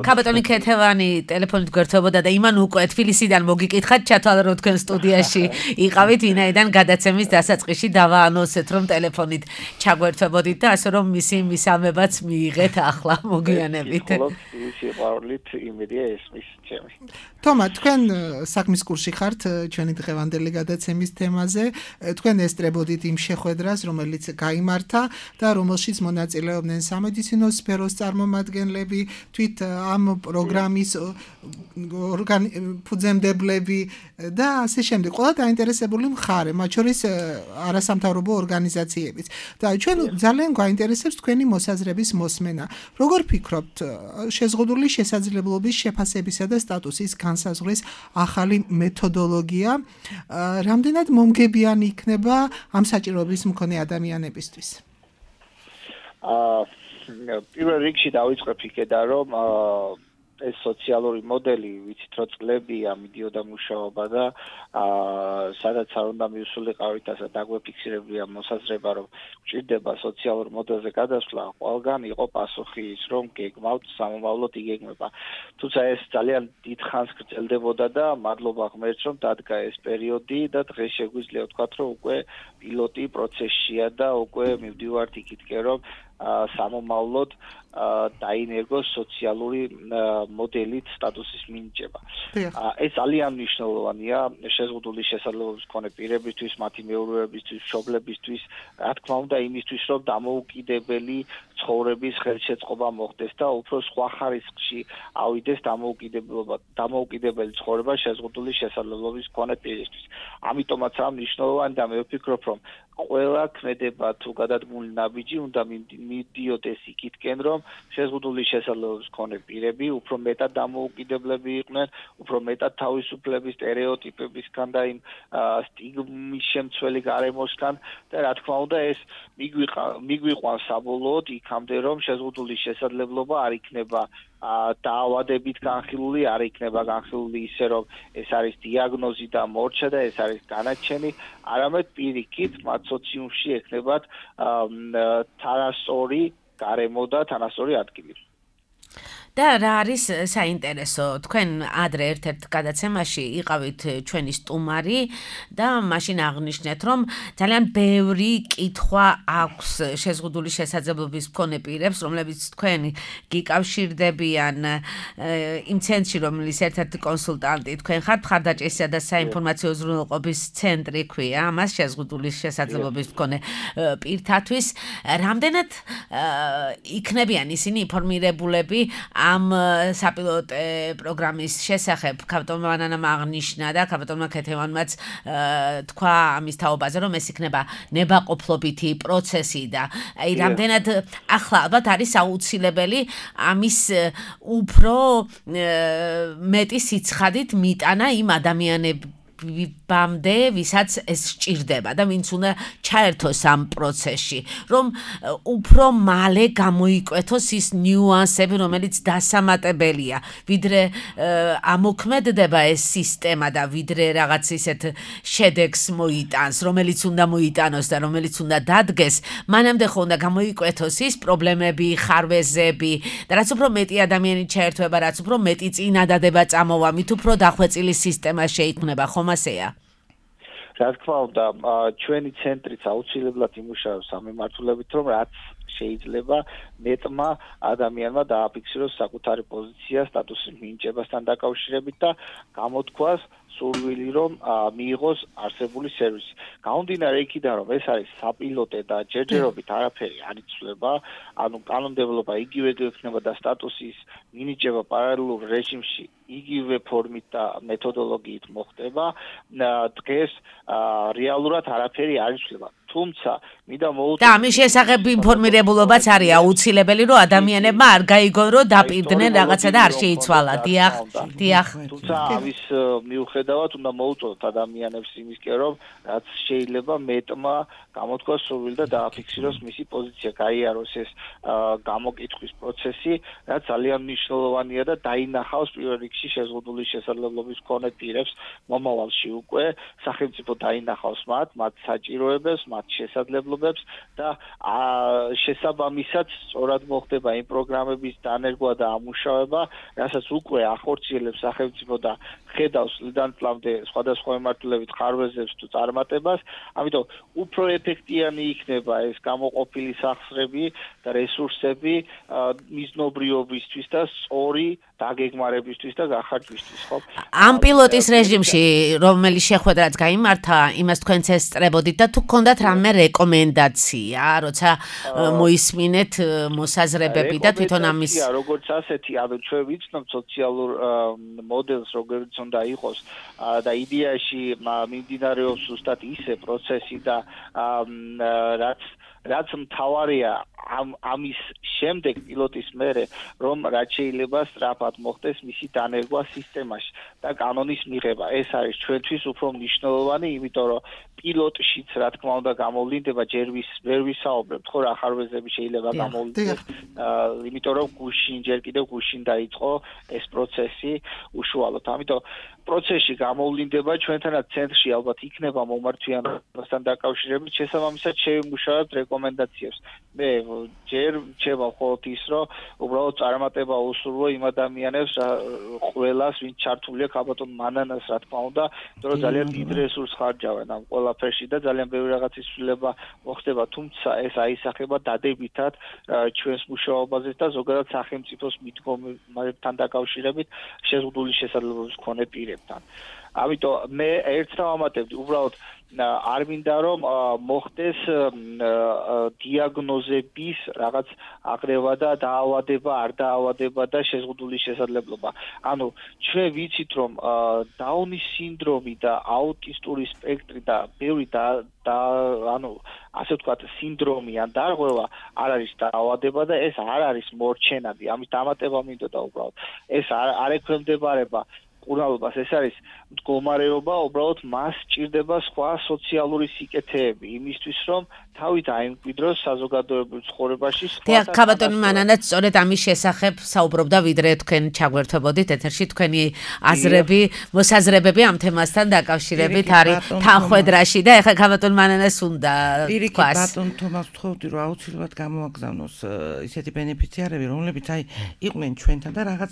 ქალბატონი ქეთევანი ტელეფონით გვერდებოდა და იმან უკვე თბილისიდან მოგიკითხათ ჩათვალა რომ თქვენ სტუდიაში იყავით, ვინაიდან გადაცემის დასაწყისში დავაანონსეთ რომ ტელეფონით ჩაგვერდებოდით და ასე რომ მისი მისამებაც მიიღეთ ახლა მოგვიანებით. სიყვარულით იმედია ესმის ჩემი. თომა, თქვენ საქმის კურსში ხართ ჩვენი დღევანდელი გადაცემის თემაზე. თქვენ ესწრებოდით იმ შეხვედრას, რომელიც გაიმართა და რომელშიც მონაწილეობდნენ სამედიცინო სფეროს წარმომადგენლები, თვით ამ პროგრამის ფუძემდებლები და ასე შემდეგ. ყველა დაინტერესებული მხარე, მათ შორის არასამთავრობო ორგანიზაციებიც. და ჩვენ ძალიან გვაინტერესებს თქვენი მოსაზრების მოსმენა. როგორ ფიქრობთ, შეზღუდული შესაძლებლობის შეფასებისა და სტატუსის განსაზღვრის ახალი მეთოდოლოგია რამდენად მომგებიანი იქნება ამ საჭიროების მქონე ადამიანებისთვის? პირველ რიგში დავიწყებ იქედან, რომ ეს სოციალური მოდელი, ვიცით რომ წლებია მიდიოდა მუშაობა და სადაც არ უნდა მივსულიყავით, ასე დაგვეფიქსირებია მოსაზრება, რომ გვჭირდება სოციალურ მოდელზე გადასვლა, ყველგან იყო პასუხი ის, რომ გეგმავთ სამომავლოდ იგეგმება. თუმცა ეს ძალიან დიდ ხანს გრძელდებოდა და მადლობა ღმერთს, რომ დადგა ეს პერიოდი და დღეს შეგვიძლია ვთქვათ, რომ უკვე პილოტი პროცესშია და უკვე მივდივართ იქითკენ, რომ სამომავლოდ დაინერგოს სოციალური მოდელით სტატუსის მინიჭება. ეს ძალიან მნიშვნელოვანია შეზღუდული შესაძლებლობის მქონე პირებისთვის, მათი მეურვეებისთვის, მშობლებისთვის, რა თქმა უნდა, იმისთვის, რომ დამოუკიდებელი ცხოვრების ხელშეწყობა მოხდეს და უფრო სხვა ხარისხში ავიდეს დამოუკიდებელი ცხოვრება შეზღუდული შესაძლებლობის მქონე პირისთვის. ამიტომაც რა მნიშვნელოვანი და მე ვფიქრობ, რომ ყველა ქმედება თუ გადადგმული ნაბიჯი უნდა მიდიოდეს იქითკენ, რომ შეზღუდული შესაძლებლობის მქონე პირები უფრო მეტად დამოუკიდებლები იყვნენ, უფრო მეტად თავისუფლების სტერეოტიპებისგან და იმ სტიგმის შემცველი გარემოსგან და რა თქმა უნდა ეს მიგვიყვანს საბოლოოდ იქამდე, რომ შეზღუდული შესაძლებლობა არ იქნება დაავადებით განხილული, არ იქნება განხილული ისე, რომ ეს არის დიაგნოზი და მორჩა და ეს არის განაჩენი, არამედ პირიქით მათ სოციუმში ექნებათ თანასწორი გარემო და თანასწორი ადგილი. და რა არის საინტერესო, თქვენ ადრე ერთ-ერთ გადაცემაში იყავით ჩვენი სტუმარი და მაშინ აღნიშნეთ, რომ ძალიან ბევრი კითხვა აქვს შეზღუდული შესაძლებლობის მქონე პირებს, რომლებიც თქვენ გიკავშირდებიან იმ ცენტრში, რომლის ერთ-ერთი კონსულტანტი თქვენ ხართ, მხარდაჭერისა და საინფორმაციო უზრუნველყოფის ცენტრი ქვია, ამას შეზღუდული შესაძლებლობის მქონე პირთათვის, რამდენად იქნებიან ისინი ინფორმირებულები ამ საპილოტო პროგრამის შესახებ. ქავტონმა ანანამ აღნიშნა და ქავტონმა ქეთევანმაც თქვა ამის თაობაზე, რომ ეს იქნება ნებაყოფლობითი პროცესი და აი რამდენად ახლა ალბათ არის აუცილებელი ამის უფრო მეტი სიცხადით მიტანა იმ ადამიანებამდე, ვისაც ეს სჭირდება და ვინც უნდა ჩაერთოს ამ პროცესში, რომ უფრო მალე გამოიკვეთოს ის ნიუანსები, რომელიც დასამატებელია, ვიდრე ამოქმედდება ეს სისტემა და ვიდრე რაღაც ისეთ შედეგს მოიტანს, რომელიც უნდა მოიტანოს და რომელიც უნდა დადგეს, მანამდე ხო უნდა გამოიკვეთოს ის პრობლემები, ხარვეზები და რაც უფრო მეტი ადამიანი ჩაერთვება, რაც უფრო მეტი წინადადება წამოვა, მით უფრო დახვეწილი სისტემა შეიქმნება, ხომ ასეა? რა თქმა უნდა, ჩვენი ცენტრიც აუცილებლად იმუშავებს ამ მიმართულებით, რომ რაც შეიძლება მეტმა ადამიანმა დააფიქსიროს საკუთარი პოზიცია სტატუსის მინიჭებასთან დაკავშირებით და გამოთქვას სურვილი, რომ მიიღოს არსებული სერვისი. გამომდინარე იქიდან, რომ ეს არის საპილოტე და ჯერჯერობით არაფერი არ იცვლება, ანუ კანონმდებლობა იგივე გვექნება და სტატუსის მინიჭება პარალელურ რეჟიმში იგივე ფორმით და მეთოდოლოგიით მოხდება, დღეს რეალურად არაფერი არ იცვლება. თუმცა მინდა მოუწოდო და ამის შესახებ ინფორმირებულობაც არის აუცილებელი, რომ ადამიანებმა არ გაიგონ, რომ დაპირდნენ რაღაცა და არ შეიცვალა. დიახ. თუმცა ამის მიუხედავად უნდა მოუწოდოთ ადამიანებს იმისკენ, რომ რაც შეიძლება მეტმა გამოთქვას სურვილი და დააფიქსიროს მისი პოზიცია, გაიაროს ეს გამოკითხვის პროცესი, რაც ძალიან მნიშვნელოვანია და დაინახავს პირველ რიგში შეზღუდული შესაძლებლობის მქონე პირებს მომავალში უკვე სახელმწიფო დაინახავს მათ საჭიროებებს, მათ შესაძლებლობებს და შესაბამისად სწორად მოხდება იმ პროგრამების დანერგვა და ამუშავება, რასაც უკვე ახორციელებს სახელმწიფო და ხედავს ლიდან წლამდე სხვადასხვა მიმართულებით ხარვეზებს თუ წარმატებას, ამიტომ უფრო ეფექტიანი იქნება ეს გამოყოფილი სახსრები და რესურსები მიზნობრიობისთვის და სწორი დაგეგმარებისთვის და გახარჯვისთვის, ხო? ამ პილოტის რეჟიმში, რომელიც შეხვედრაც გაიმართა, იმას თქვენც ესწრებოდით და თუ გქონდათ რამე რეკომენდაცია, როცა მოისმინეთ მოსაზრებები და თვითონ ამის როგორც ასეთი, ანუ ჩვენ ვიცნობ სოციალურ მოდელს, როგორც უნდა იყოს და იდეაში მიმდინარეობს ზუსტად ისე პროცესი და რაც რაც მთავარია ამის შემდეგ პილოტის მერე რომ რაც შეიძლება სწრაფად მოხდეს მისი დანერგვა სისტემაში და კანონის მიღება. ეს არის ჩვენთვის უფრო მნიშვნელოვანი, იმიტომ რომ პილოტშიც რა თქმა უნდა გამოვლინდება ჯერ ვერ ვისაუბრებთ ხო რა ხარვეზები შეიძლება გამოვლინდეს, იმიტომ რომ ჯერ კიდევ გუშინ დაიწყო ეს პროცესი უშუალოდ. ამიტომ პროცესში გამოვლინდება ჩვენთანაც ცენტრში ალბათ იქნება მომართვიანობასთან დაკავშირებით შესაბამისად შევიმუშავებთ რეკომენდაციებს. მე ჯერ რჩება მხოლოდ ის რომ უბრალოდ წარმატება უსურვო იმ ადამიანებს ყველას ვინც ჩართულია ქაბატონ მანანას რა თქმა უნდა, იმიტომ რომ ძალიან დიდ რესურსს ხარჯავენ ამ ყველაფერში და ძალიან ბევრი რაღაცის ცვლილება მოხდება, თუმცა ეს აისახება დადებითად ჩვენს მუშაობაზე და ზოგადად სახელმწიფოს მიდგომებთან დაკავშირებით შეზღუდული შესაძლებლობის მქონე პირებთან. ამიტომ მე ერთს დავამატებდი, უბრალოდ არ მინდა რომ მოხდეს დიაგნოზების რაღაც აღრევა და დაავადება, არ დაავადება და შეზღუდული შესაძლებლობა. ანუ ჩვენ ვიცით რომ დაუნის სინდრომი და აუტისტური სპექტრი და ბევრი ანუ ასე ვთქვათ სინდრომი ან დარღვევა არ არის დაავადება და ეს არ არის მორჩენადი. ამის დამატება მინდოდა უბრალოდ. ეს არ ექვემდებარება კურნალობას, ეს არის მდგომარეობა, უბრალოდ მას სჭირდება სხვა სოციალური სიკეთეები იმისთვის, რომ თავი დაიმკვიდროს საზოგადოებრივ ცხოვრებაში. დიახ, ქაბატონი მანანაც სწორედ ამის შესახებ საუბრობდა, ვიდრე თქვენ ჩაგვერთვებოდით ეთერში, თქვენი აზრები, მოსაზრებები ამ თემასთან დაკავშირებით არის თანხმედრაში და ეხლა ქაბატონ მანანას უნდა თქვას. ბატონ თომას ვთხოვდი, რომ აუცილებლად გამოაგზავნოს ისეთი ბენეფიციარები, რომლებიც იყვნენ ჩვენთან და რაღაც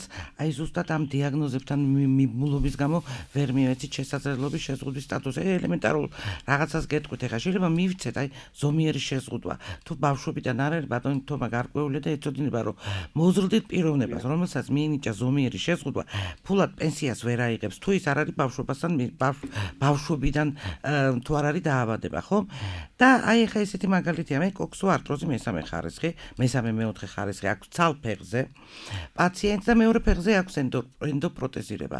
ზუსტად ამ დიაგნოზებთან მიბმულობის გამო ვერ მივეცით შესაძლებლობის შეზღუდვის სტატუსზე. ელემენტარულ რაღაცას გეტყვით, ეხლა შეიძლება მივიცეთ ზომიერი შეზღუდვა. თუ ბავშვობიდან არ არის ბატონი თომა გარკვეული და ეცოდინება რომ მოზრდით პიროვნებას, რომელსაც მიენიჭა ზომიერი შეზღუდვა, ფულად პენსიას ვერ აიღებს, თუ ის არ არის ბავშვობასთან ბავშვობიდან თუ არ არის დაავადება, ხო? და ეხლა ესეთი მაგალითია, მე კოქსოარტროზი მესამე ხარისხი, მესამე-მეოთხე ხარისხი აქვს ცალფეხზე პაციენტს და მეორე ფეხზე აქვს ენდოპროტეზირება.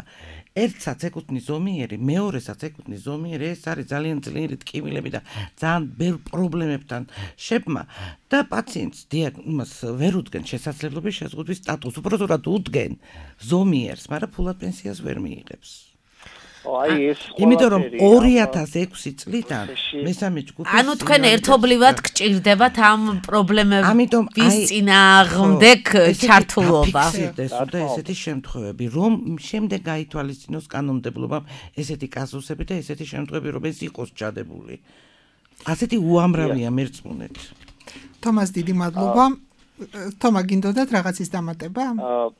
ერთსაც ეკუთვნის ზომიერი, მეორესაც ეკუთვნის ზომიერი, ეს არის ძალიან ძლიერი ტკივილები და ძალიან ბევრ პრობლემებთან შეფმა და პაციენტს დიაგნოზს ვერ უდგენ შესაძლებლობის შეზღუდვის სტატუსს, უბრალოდ უდგენ ზომიერს, მაგრამ ფულად პენსიას ვერ მიიღებს. იმიტომ რომ 2006 წლიდან მესამე ჯგუფი ანუ თქვენ ერთობლივად გჭირდებათ ამ პრობლემების წინააღმდეგ ჩართულობა. და ესეთი შემთხვევები, რომ შემდეგ გაითვალისწინოს კანონმდებლობამ ესეთი კაზუსები და ესეთი შემთხვევები, რომ ეს იყოს ჩადებული. ასეთი უამრავია მერწმუნეთ. თომას დიდი მადლობა. თომა გინდოდათ რაღაცის დამატება?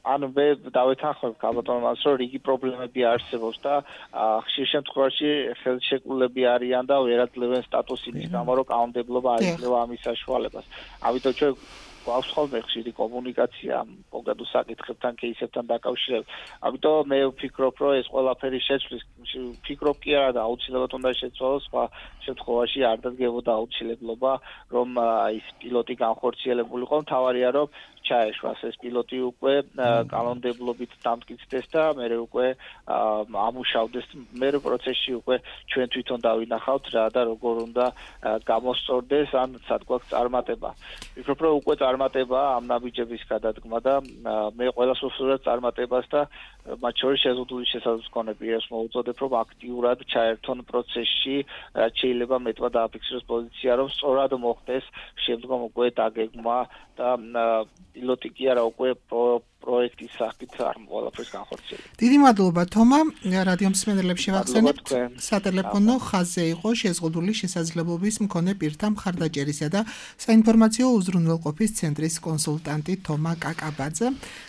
ანუ მე დავეთანხმებ ქაბატონს, რომ რიგი პრობლემები არსებობს და ხშირ შემთხვევაში ხელშეკრულები არიან და ვერაძლევენ სტატუსის გამო, რომ კანონმდებლობა არ იძლევა ამის საშუალებას. ამიტომ ჩვენ გვაქვს ხოლმე ხშირი კომუნიკაცია კონკრეტულ საკითხებთან, кейსებთან დაკავშირებით. ამიტომ მე ვფიქრობ, რომ ეს ყველაფერი შეცვლის, ვფიქრობ კი არა და აუცილებლად უნდა შეცვალოს, სხვა შემთხვევაში არ დადგებოდა აუცილებლობა, რომ ის პილოტი განხორციელებულიყო. მთავარია, რომ ჩაეშვას ეს პილოტი უკვე კანონმდებლობით დამტკიცდეს და მერე უკვე ამუშავდეს. მერე პროცესში უკვე ჩვენ თვითონ დავინახავთ რა და როგორ უნდა გამოსწორდეს ან სად გვაქვს წარმატება. ვფიქრობ, რომ უკვე წარმატება ამ ნაბიჯების გადადგმა და მე ყველას ვუსურვებ წარმატებას და მათ შორის შეზღუდული შესაძლებლობის მქონე პირებს მოუწოდებ, რომ აქტიურად ჩაერთონ პროცესში, რაც შეიძლება მეტად დააფიქსიროს პოზიცია, რომ სწორად მოხდეს შემდგომ უკვე დაგეგმა და პილოტი კი არა უკვე პროექტის სახით არ ყველაფერს განხორციელებს. დიდი მადლობა თომა, რადიო მსმენელებს შევახსენებთ, სატელეფონო ხაზზე იყო შეზღუდული შესაძლებლობის მქონე პირთა მხარდაჭერისა და საინფორმაციო უზრუნველყოფის ცენტრის კონსულტანტი თომა კაკაბაძე.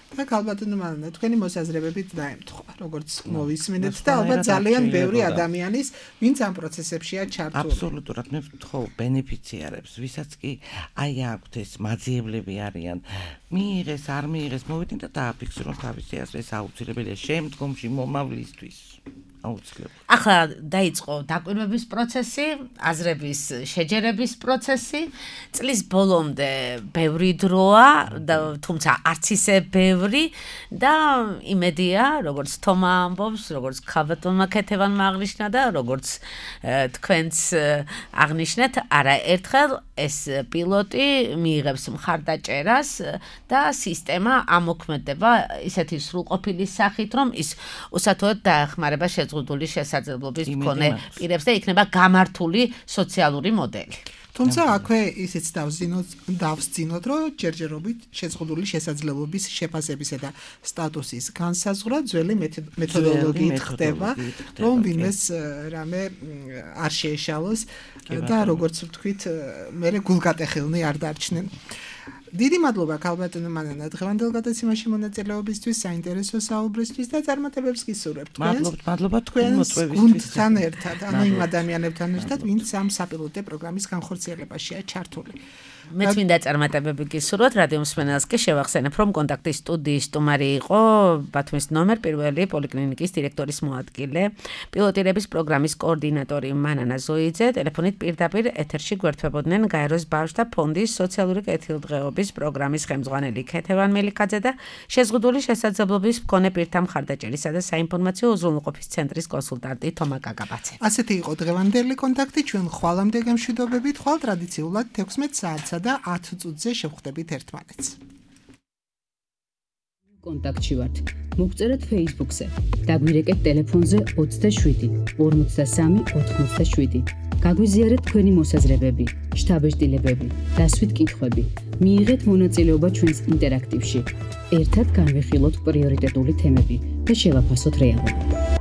და ქალბატონო მანანა, თქვენი მოსაზრებებით დაემთხვა, როგორც მოვისმინეთ და ალბათ ძალიან ბევრი ადამიანის, ვინც ამ პროცესებშია ჩართული. აბსოლუტურად მე ვთხოვ ბენეფიციარებს, ვისაც კი აქვთ ეს მაძიებლები არიან, მიიღეს, არ მიიღეს, მოვიდნენ და დააფიქსირონ თავისი აზრი, ეს აუცილებელია შემდგომში მომავლისთვის. აუცილებლად. ახლა დაიწყო დაკვირვების პროცესი, აზრების შეჯერების პროცესი. წლის ბოლომდე ბევრი დროა, თუმცა არც ისე ბევრი და იმედია, როგორც თომა ამბობს, როგორც ქალბატონმა ქეთევანმა აღნიშნა და როგორც თქვენც აღნიშნეთ, არაერთხელ ეს პილოტი მიიღებს მხარდაჭერას და სისტემა ამოქმედება ისეთი სრულყოფილი სახით, რომ ის უსათოოდ დაეხმარება შეზღუდული შესაძლებლობის მქონე პირებს და იქნება გამართული სოციალური მოდელი. თუმცა აქვე ისიც დავსძინოთ, რომ ჯერჯერობით შეზღუდული შესაძლებლობის შეფასებისა და სტატუსის განსაზღვრა ძველი მეთოდოლოგიით ხდება, რომ ვინმეს რამე არ შეეშალოს და როგორც ვთქვით, მერე გულგატეხილნი არ დარჩნენ. დიდი მადლობა ქალბატონო მანანა დღევანდელ გადაცემაში მონაწილეობისთვის, საინტერესო საუბრისთვის და წარმატებებს გისურვებთ. მადლობა თქვენ მოწვევისთვის. თან ერთად, ანუ იმ ადამიანებთან ერთად, ვინც ამ საპილოტე პროგრამის განხორციელებაშია ჩართული. მეც მინდა წარმატებები გისურვოთ, რადიო მსმენელს კი შევახსენებ, რომ კონტაქტის სტუდიის სტუმარი იყო ბათუმის ნომერ 1 პოლიკლინიკის დირექტორის მოადგილე, პილოტირების პროგრამის კოორდინატორი მანანა ზოიძე, ტელეფონით პირდაპირ ეთერში გვერდთვებოდნენ გაეროს ბავშვთა ფონდის სოციალური კეთილდღეობის პროგრამის ხელმძღვანელი ქეთევან მელიქაძე და შეზღუდული შესაძლებლობის მქონე პირთა მხარდაჭერისა და საინფორმაციო უზრუნველყოფის ცენტრის კონსულტანტი თომა კაკაბაძე. ასეთი იყო დღევანდელი კონტაქტი, ჩვენ ხვალამდე გემშვიდობებით, ხვალ ტრადიციულად 16 საათსა და 10 წუთზე შევხვდებით ერთმანეთს. კონტაქტში ვართ. მოგწერეთ Facebook-ზე. დაგვირეკეთ ტელეფონზე 27 53 87. გაგვიზიარეთ თქვენი მოსაზრებები, შთაბეჭდილებები, დასვით კითხვები. მიიღეთ მონაწილეობა ჩვენს ინტერაქტივში. ერთად განვიხილოთ პრიორიტეტული თემები და შევაფასოთ რეალობა.